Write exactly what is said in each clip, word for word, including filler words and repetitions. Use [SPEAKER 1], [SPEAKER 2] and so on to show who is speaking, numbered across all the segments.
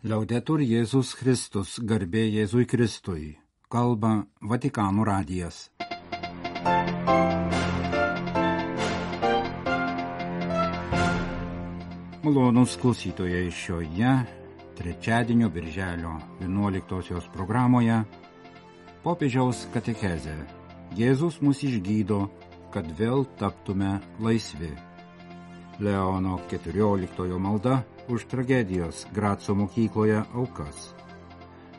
[SPEAKER 1] Liaudetur Jėzus Kristus, garbė Jėzui Kristui, kalba Vatikano radijas. Malonūs klausytojai, šioje trečiadienio birželio vienuoliktosios programoje popiežiaus katechezė. Jėzus mus išgydo, kad vėl taptume laisvi. Leono keturioliktojo malda už tragedijos Graco mokykloje aukas.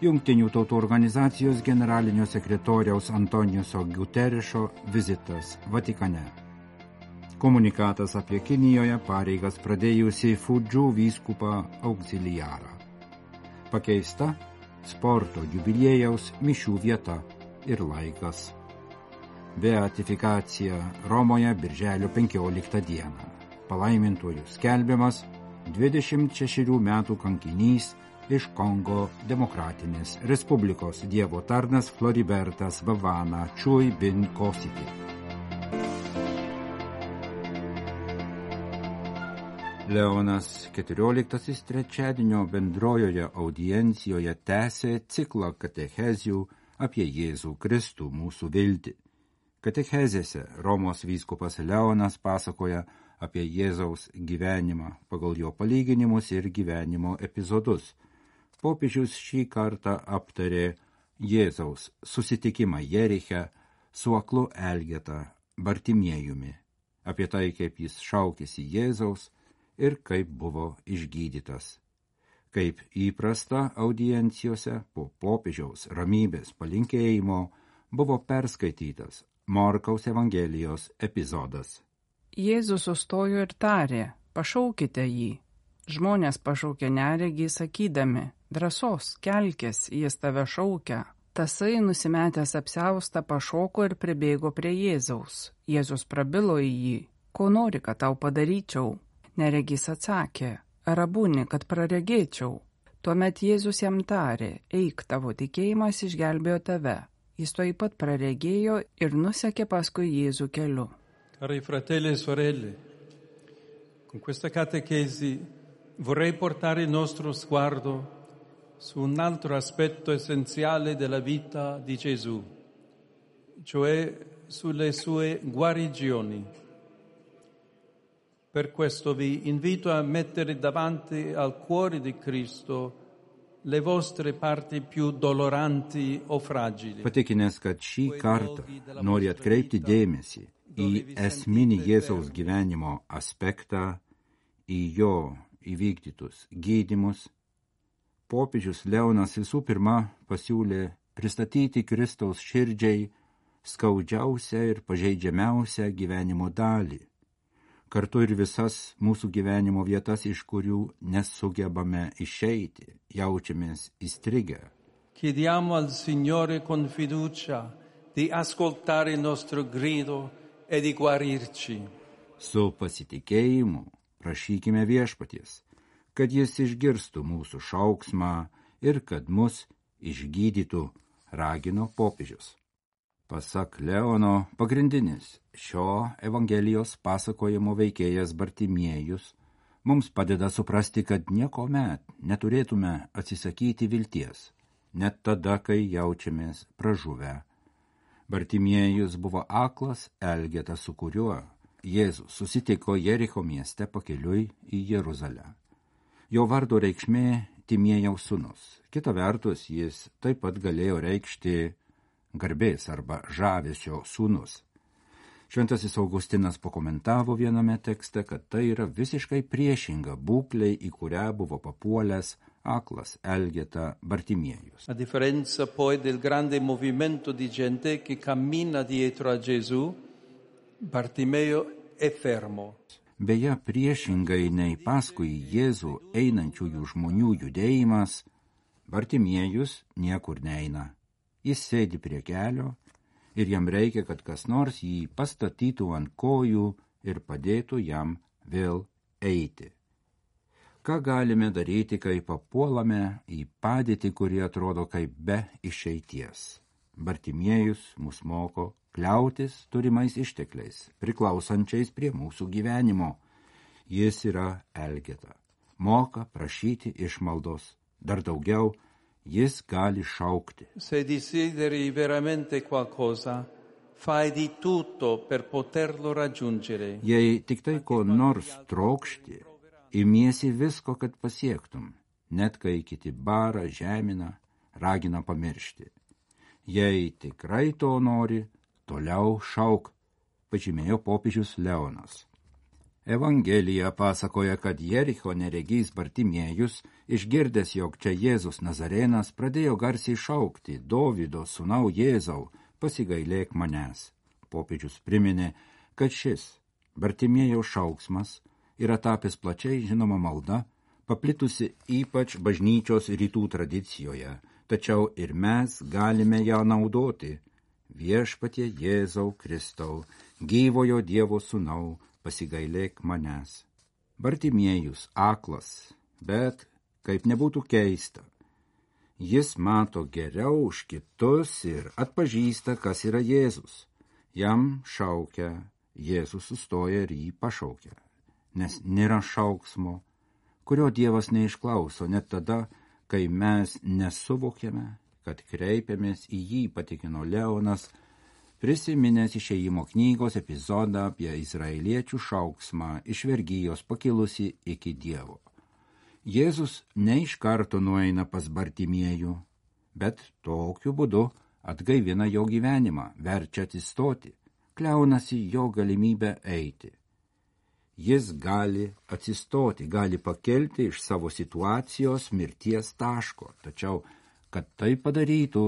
[SPEAKER 1] Jungtinių tautų organizacijos generalinio sekretoriaus Antoniuso Guterešo vizitas Vatikane. Komunikatas apie Kinijoje pareigas pradėjusi Fudžu vyskupą auxiliarą. Pakeista sporto jubiliejaus mišių vieta ir laikas. Beatifikacija Romoje birželio penkioliktą dieną. Palaimintuoju skelbiamas dvidešimt šešerių metų kankinys iš Kongo Demokratinės Respublikos Dievo tarnas Floribertas Bavana Chui bin Kositi. Leonas keturioliktasis trečiadienio bendrojoje audiencijoje tęsė ciklą katechezių apie Jėzų Kristų mūsų viltį. Katechezėse Romos vyskupas Leonas pasakoja apie Jėzaus gyvenimą pagal jo palyginimus ir gyvenimo epizodus. Popiežius šį kartą aptarė Jėzaus susitikimą Jeriche su aklu Elgeta Bartimiejumi, apie tai, kaip jis šaukėsi Jėzaus ir kaip buvo išgydytas. Kaip įprasta audiencijose po popiežiaus ramybės palinkėjimo buvo perskaitytas Morkaus Evangelijos epizodas.
[SPEAKER 2] Jėzus sustojo ir tarė, pašaukite jį. Žmonės pašaukė neregį sakydami, drąsos, kelkis, jis tave šaukia. Tasai nusimetęs apsiaustą pašoko ir pribėgo prie Jėzaus. Jėzus prabilo į jį, ko nori, kad tau padaryčiau. Neregys atsakė, rabuni, kad praregėčiau. Tuomet Jėzus jam tarė, eik, tavo tikėjimas išgelbėjo tave. Jis tuoj pat praregėjo ir nusekė paskui Jėzų keliu.
[SPEAKER 3] Cari fratelli e sorelle, con questa catechesi vorrei portare il nostro sguardo su un altro aspetto essenziale della vita di Gesù, cioè sulle sue guarigioni. Per questo vi invito a mettere davanti al cuore di Cristo le vostre parti più doloranti o fragili.
[SPEAKER 1] Patikinęs, kad šį kartą nori atkreipti dėmesį į esminį Jėzaus gyvenimo aspektą, į jo įvykdytus gydymus, popiežius Leonas visų pirma pasiūlė pristatyti Kristaus širdžiai skaudžiausią ir pažeidžiamiausią gyvenimo dalį, kartu ir visas mūsų gyvenimo vietas, iš kurių nesugebame išeiti, jaučiamės įstrigę.
[SPEAKER 3] Chiediamo al Signore con fiducia di ascoltare il nostro grido e di guarirci.
[SPEAKER 1] Su pasitikėjimu prašykime Viešpaties, kad jis išgirstų mūsų šauksmą ir kad mus išgydytų, ragino popiežius. Pasak Leono, pagrindinis šio Evangelijos pasakojimo veikėjas Bartimiejus mums padeda suprasti, kad niekuomet neturėtume atsisakyti vilties, net tada, kai jaučiamės pražuvę. Bartimiejus buvo aklas Elgeta, su kuriuo Jėzus susitiko Jericho mieste pakeliui į Jeruzalę. Jo vardo reikšmė Timiejaus sūnus. Kita vertus, jis taip pat galėjo reikšti garbės arba žavesio sūnus. Šventasis Augustinas pakomentavo viename tekste, kad tai yra visiškai priešinga būklei, į kurią buvo papuolęs aklas Elgeta Bartimiejus.
[SPEAKER 3] A differenza poi del grande movimento di gente che cammina dietro a Gesù, Bartimeo è fermo.
[SPEAKER 1] Beje, priešingai nei paskui Jėzų einančiųjų žmonių judėjimas, Bartimiejus niekur neina. Jis sėdi prie kelio ir jam reikia, kad kas nors jį pastatytų ant kojų ir padėtų jam vėl eiti. Ką galime daryti, kai papuolame į padėtį, kuri atrodo kaip be išeities? Bartimiejus mus moko kliautis turimais ištekliais, priklausančiais prie mūsų gyvenimo. Jis yra Elgeta, moka prašyti išmaldos, dar daugiau, jis gali šaukti.
[SPEAKER 3] Se desideri veramente qualcosa, fai di tutto per poterlo raggiungere.
[SPEAKER 1] Jei tik tai ko nors trokšti, imiesi visko, kad pasiektum, net kai kiti bara, žemina, ragina pamiršti. Jei tikrai to nori, toliau šauk, pažymėjo popiežius Leonas. Evangelija pasakoja, kad Jericho neregys Bartimiejus, išgirdęs, jog čia Jėzus Nazarenas, pradėjo garsiai šaukti: Dovydo sūnau Jėzau, pasigailėk manęs. Popiežius priminė, kad šis Bartimiejaus šauksmas yra tapęs plačiai žinoma malda, paplitusi ypač bažnyčios rytų tradicijoje, tačiau ir mes galime ją naudoti. Viešpatie Jėzau Kristau, gyvojo Dievo sūnau, pasigailėk manęs. Bartimiejus aklas, bet, kaip nebūtų keista, jis mato geriau už kitus ir atpažįsta, kas yra Jėzus. Jam šaukia, Jėzus sustoja ir jį pašaukia, nes nėra šauksmo, kurio Dievas neišklauso net tada, kai mes nesuvokiame, kad kreipiamės į jį, patikino Leonas, prisiminęs Išėjimo knygos epizodą apie izraeliečių šauksmą iš vergijos pakilusi iki Dievo. Jėzus ne iš karto nueina pas Bartimiejų, bet tokiu būdu atgaivina jo gyvenimą, verčia atsistoti, kliaunasi jo galimybę eiti. Jis gali atsistoti, gali pakelti iš savo situacijos mirties taško, tačiau, kad tai padarytų,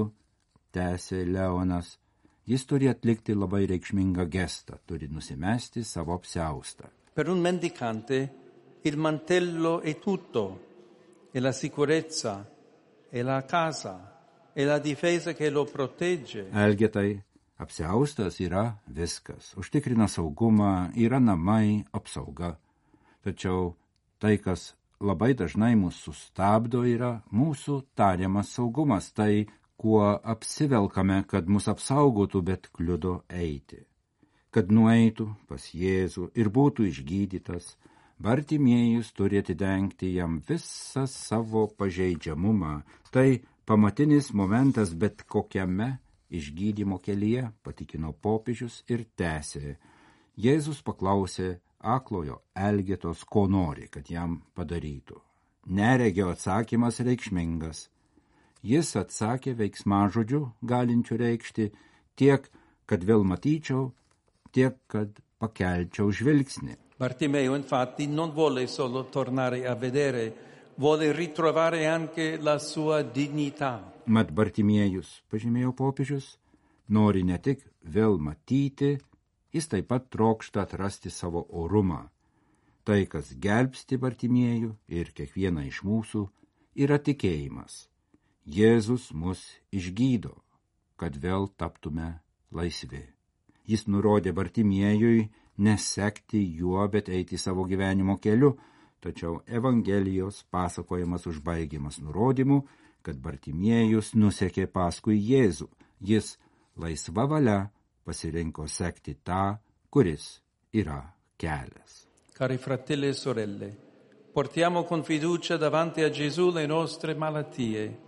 [SPEAKER 1] tęsė Leonas, jis turi atlikti labai reikšmingą gestą, turi nusimesti savo apsiaustą.
[SPEAKER 3] Per un mendicante il mantello è tutto, è la sicurezza, è la casa, è la difesa che lo protegge.
[SPEAKER 1] Elgetai, apsiaustas yra viskas, užtikrina saugumą, yra namai, apsauga. Tačiau tai, kas labai dažnai mūsų sustabdo, yra mūsų tariamas saugumas, tai, kuo apsivelkame, kad mus apsaugotų, bet kliudo eiti. Kad nueitų pas Jėzų ir būtų išgydytas, Bartimiejus turi atidengti jam visą savo pažeidžiamumą. Tai pamatinis momentas bet kokiame išgydymo kelyje, patikino popiežius ir tęsė. Jėzus paklausė aklojo Elgetos, ko nori, kad jam padarytų. Neregio atsakymas reikšmingas. Jis atsakė veiksmažodžiu, galinčiu reikšti tiek, kad vėl matyčiau, tiek, kad pakelčiau žvilgsnį.
[SPEAKER 3] Bartimeo infatti non vuole solo tornare a vedere, vuole ritrovare anche la sua dignità.
[SPEAKER 1] Mat Bartimiejus, pažymėjo popiežius, nori ne tik vėl matyti, jis taip pat trokšta atrasti savo orumą. Tai, kas gelbsti Bartimiejų ir kiekvieną iš mūsų, yra tikėjimas. Jėzus mus išgydo, kad vėl taptume laisvi. Jis nurodė Bartimiejui nesekti juo, bet eiti savo gyvenimo keliu, tačiau Evangelijos pasakojimas užbaigiamas nurodymu, kad Bartimiejus nusekė paskui Jėzų. Jis laisva valia pasirinko sekti tą, kuris yra kelias.
[SPEAKER 3] Cari fratelli e sorelle, portiamo con fiducia davanti a Gesù le nostre malattie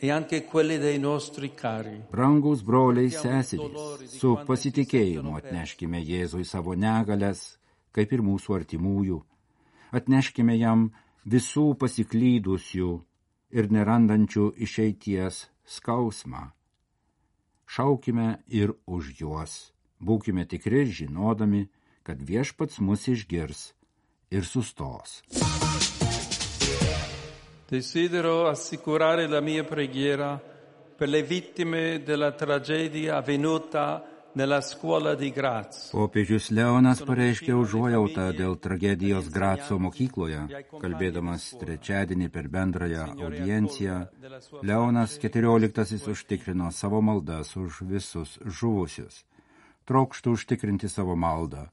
[SPEAKER 3] e anche quelle dei nostri cari.
[SPEAKER 1] Brangus broliai seserys, su pasitikėjimu atneškime Jėzui savo negalias, kaip ir mūsų artimųjų. Atneškime jam visų pasiklydusių ir nerandančių išeities skausmą. Šaukime ir už juos. Būkime tikri, žinodami, kad Viešpats mus išgirs ir sustos.
[SPEAKER 3] Desidero assicurare la mia preghiera per le vittime della tragedia avvenuta nella scuola di Graz.
[SPEAKER 1] Popiežius Leonas pareiškė užuojautą dėl tragedijos Graco mokykloje. Kalbėdamas trečiadienį per bendrąją audienciją, Leonas keturioliktasis užtikrino savo maldas už visus žuvusius. Trokštų užtikrinti savo maldą.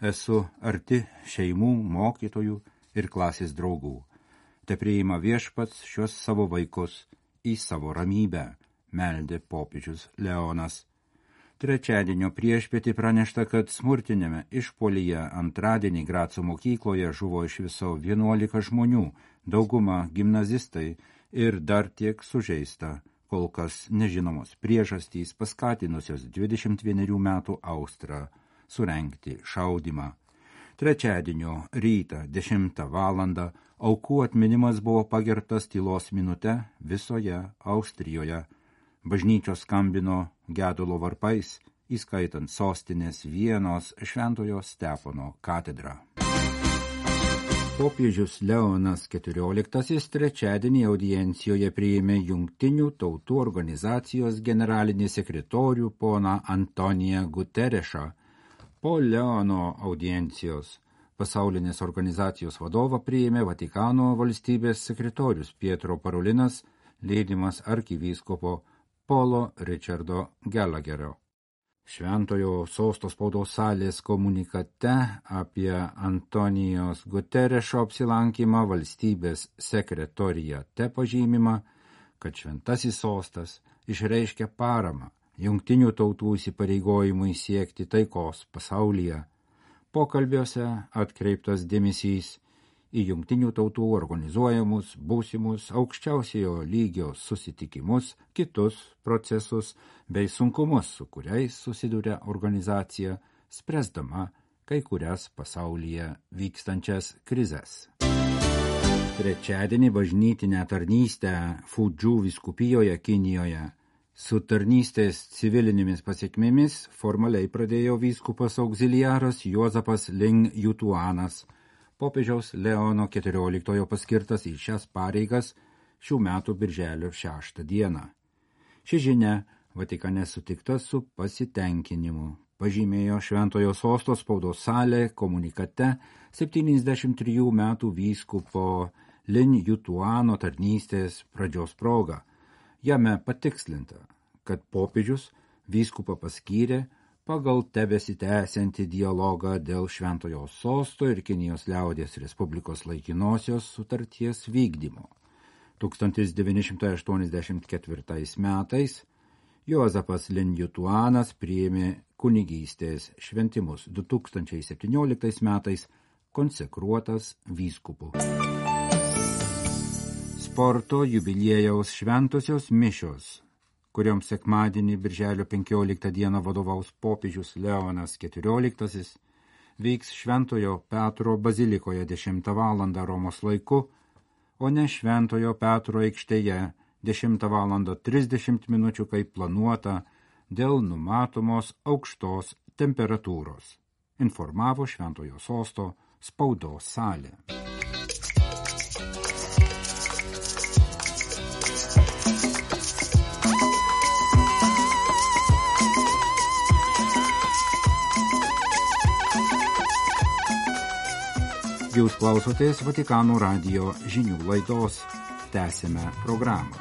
[SPEAKER 1] Esu arti šeimų, mokytojų ir klasės draugų. Te priima Viešpats šios savo vaikus į savo ramybę, meldė popiežius Leonas. Trečiadienio priešpietį pranešta, kad smurtinėme išpolyje antradienį Graco mokykloje žuvo iš viso vienuolika žmonių, dauguma gimnazistai ir dar tiek sužeista, kol kas nežinomos priežastys paskatinusios dvidešimt vienerių metų Austrą surengti šaudymą. Trečiadienio rytą dešimtą valandą aukų atminimas buvo pagerbtas tylos minute visoje Austrijoje. Bažnyčios skambino gedulo varpais, įskaitant sostinės Vienos Šventojo Stepono katedrą. Popiežius Leonas keturioliktasis trečiadienį audiencijoje priėmė Jungtinių tautų organizacijos generalinį sekretorių poną Antoniją Guterešą. Po Leono audiencijos pasaulinės organizacijos vadovą priėmė Vatikano valstybės sekretorius Pietro Parolinas, lydimas arkivyskupo Polo Richardo Gallagherio. Šventojo sosto spaudos salės komunikate apie Antonijos Guterešo apsilankymą valstybės sekretorijate pažymima, kad šventasis sostas išreiškia paramą Jungtinių tautų įsipareigojimui siekti taikos pasaulyje. Pokalbiuose atkreiptas dėmesys į Jungtinių tautų organizuojamus būsimus aukščiausiojo lygio susitikimus, kitus procesus bei sunkumus, su kuriais susiduria organizacija, spręsdama kai kurias pasaulyje vykstančias krizes. Trečiadienį bažnytinę tarnystę Fudžu vyskupijoje Kinijoje su tarnystės civilinėmis pasiekmėmis formaliai pradėjo vyskupas auxiliaras Juozapas Ling Jutuanas, popiežiaus Leono keturioliktojo paskirtas į šias pareigas šių metų birželio šeštą dieną. Ši žinia Vatikane sutikta su pasitenkinimu, pažymėjo Šventojo sosto spaudos salė komunikate septyniasdešimt trijų metų vyskupo Lin Jutuano tarnystės pradžios proga. Jame patikslinta, kad popiežius vyskupą paskyrė pagal tebesitęsiantį dialogą dėl Šventojo sosto ir Kinijos liaudies Respublikos laikinosios sutarties vykdymo. tūkstantis devyni šimtai aštuoniasdešimt ketvirtais metais Juozapas Lin Jutuanas priėmė kunigystės šventimus, du tūkstančiai septynioliktais metais konsekruotas vyskupu. Sporto jubiliejaus šventosios mišios, kurioms sekmadienį birželio penkioliktą dieną vadovaus popiežius Leonas keturioliktasis, vyks Šventojo Petro bazilikoje dešimtą valandą Romos laiku, o ne Šventojo Petro aikštėje dešimtą valandą trisdešimt minučių kaip planuota dėl numatomos aukštos temperatūros, informavo Šventojo sosto spaudos salė. Jūs klausotės Vatikano radijo žinių laidos. Tęsime programą.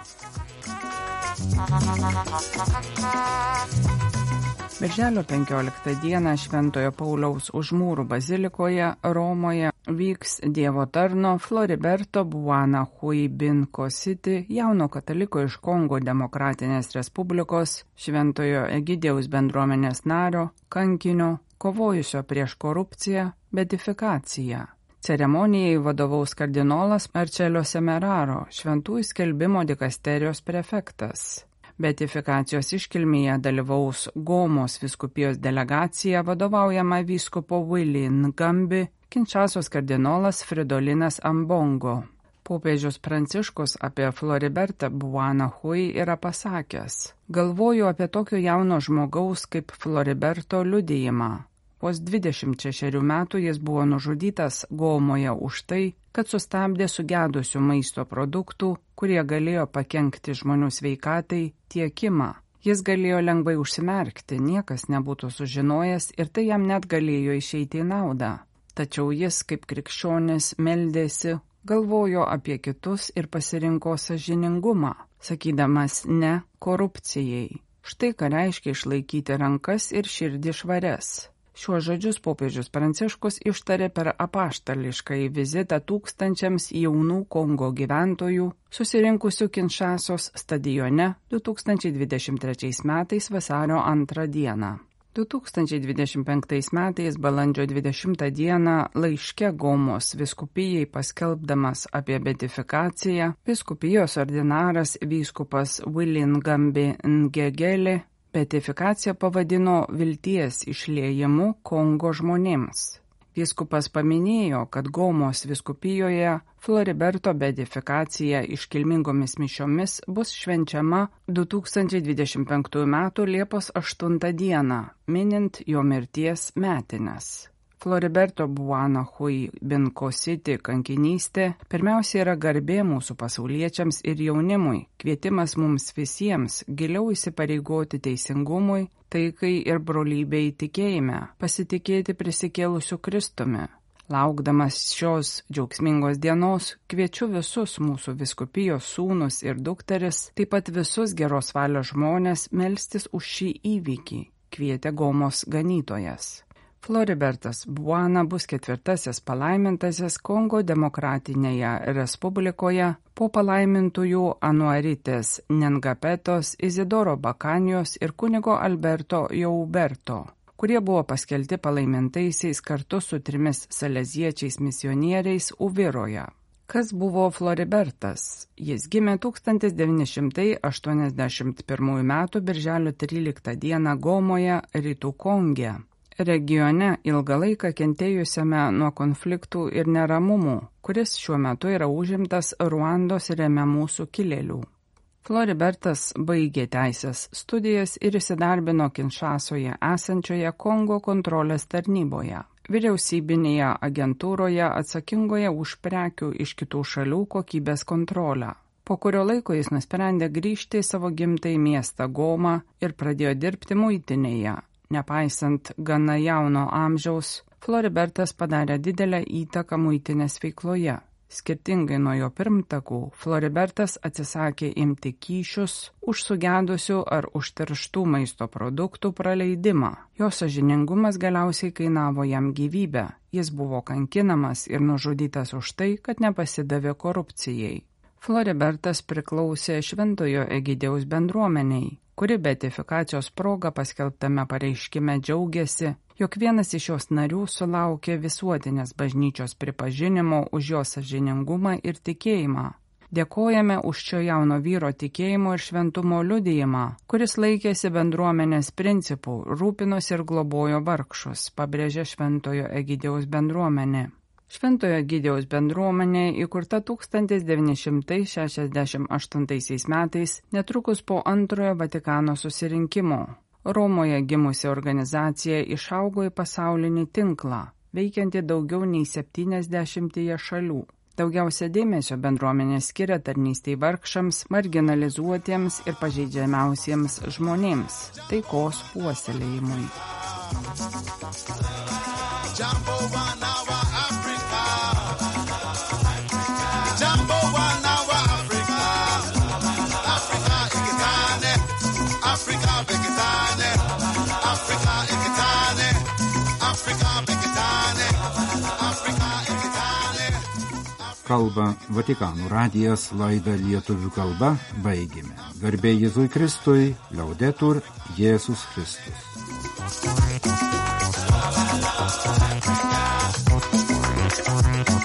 [SPEAKER 2] Birželio penkioliktą dieną Šventojo Pauliaus Užmūrų bazilikoje Romoje vyks Dievo tarno Floriberto Buana Huibin Kositi, jauno kataliko iš Kongo Demokratinės Respublikos, Šventojo Egidijaus bendruomenės nario, kankinio, kovojusio prieš korupciją, beatifikaciją. Ceremonijai vadovaus kardinolas Marcello Semeraro, šventųjų skelbimo dikasterijos prefektas. Beatifikacijos iškilmėje dalyvaus Gomos vyskupijos delegacija vadovaujama vyskupo Willy Ngambi, Kinčasos kardinolas Fridolinas Ambongo. Popiežius Pranciškus apie Floribertą Buana Hui yra pasakęs: galvoju apie tokio jauno žmogaus kaip Floriberto liudijimą. Vos dvidešimt šešerių metų jis buvo nužudytas Gomoje už tai, kad sustabdė sugedusių maisto produktų, kurie galėjo pakenkti žmonių sveikatai, tiekimą. Jis galėjo lengvai užsimerkti, niekas nebūtų sužinojęs ir tai jam net galėjo išeiti į naudą. Tačiau jis, kaip krikščionis, meldėsi, galvojo apie kitus ir pasirinko sąžiningumą, sakydamas ne korupcijai. Štai ką reiškia išlaikyti rankas ir širdį švarias. Šiuos žodžius popiežius Pranciškus ištarė per apaštališkąjį vizitą tūkstančiams jaunų Kongo gyventojų, susirinkusių Kinčasos stadione du tūkstančiai dvidešimt trečiais metais vasario antrą dieną. du tūkstančiai dvidešimt penktais metais balandžio dvidešimtą dieną laiške Gomos vyskupijai paskelbdamas apie beatifikaciją, vyskupijos ordinaras vyskupas William Gambi Ngegeli beatifikaciją pavadino vilties išliejimu Kongo žmonėms. Vyskupas paminėjo, kad Gomos vyskupijoje Floriberto beatifikacija iškilmingomis mišiomis bus švenčiama du tūkstančiai dvidešimt penktųjų metų Liepos aštuntą dieną, minint jo mirties metines. Floriberto Buanahui Binkositi kankinystė pirmiausia yra garbė mūsų pasauliečiams ir jaunimui, kvietimas mums visiems giliau įsipareigoti teisingumui, taikai ir brolybei tikėjime, pasitikėti prisikėlusiu Kristumi. Laukdamas šios džiaugsmingos dienos, kviečiu visus mūsų vyskupijos sūnus ir dukteris, taip pat visus geros valios žmonės melstis už šį įvykį, kvietė Gomos ganytojas. Floribertas Buana bus ketvirtasis palaimintasis Kongo demokratinėje respublikoje po palaimintųjų Anuaritės Nengapetos, Izidoro Bakanijos ir kunigo Alberto Jauberto, kurie buvo paskelbti palaimintaisiais kartu su trimis saleziečiais misionieriais Uviroje. Kas buvo Floribertas? Jis gimė tūkstantis devyni šimtai aštuoniasdešimt pirmųjų metų birželio tryliktą dieną Gomoje, Rytų Konge. Regione ilgą laiką kentėjusiame nuo konfliktų ir neramumų, kuris šiuo metu yra užimtas Ruandos remiamų sukilėlių. Floribertas baigė teisės studijas ir įsidarbino Kinšasoje esančioje Kongo kontrolės tarnyboje, vyriausybinėje agentūroje atsakingoje už prekių iš kitų šalių kokybės kontrolę. Po kurio laiko jis nusprendė grįžti į savo gimtąjį miestą Gomą ir pradėjo dirbti muitinėje. Nepaisant gana jauno amžiaus, Floribertas padarė didelę įtaką muitinės veikloje. Skirtingai nuo jo pirmtakų, Floribertas atsisakė imti kyšius už sugedusių ar užterštų maisto produktų praleidimą. Jo sąžiningumas galiausiai kainavo jam gyvybę. Jis buvo kankinamas ir nužudytas už tai, kad nepasidavė korupcijai. Floribertas priklausė Šventojo Egidijaus bendruomeniai, kuri beatifikacijos proga paskelbtame pareiškime džiaugiasi, jog vienas iš jos narių sulaukė visuotinės bažnyčios pripažinimo už jo sąžiningumą ir tikėjimą. Dėkojame už šio jauno vyro tikėjimo ir šventumo liudijimą, kuris laikėsi bendruomenės principų, rūpinosi ir globojo vargšus, pabrėžė Šventojo Egidijaus bendruomenė. Šventojo Egidijaus bendruomenė įkurta tūkstantis devyni šimtai šešiasdešimt aštuntaisiais metais, netrukus po antrojo Vatikano susirinkimo. Romoje gimusi organizacija išaugo į pasaulinį tinklą, veikiantį daugiau nei septyniasdešimtyje šalių. Daugiausia dėmesio bendruomenė skiria tarnystei vargšams, marginalizuotiems ir pažeidžiamiausiems žmonėms, taikos puoselėjimui.
[SPEAKER 1] Kalba Vatikano radijas, laidą lietuvių kalba baigėme. Garbė Jėzui Kristui, Laudetur Jėzus Kristus. Thank you.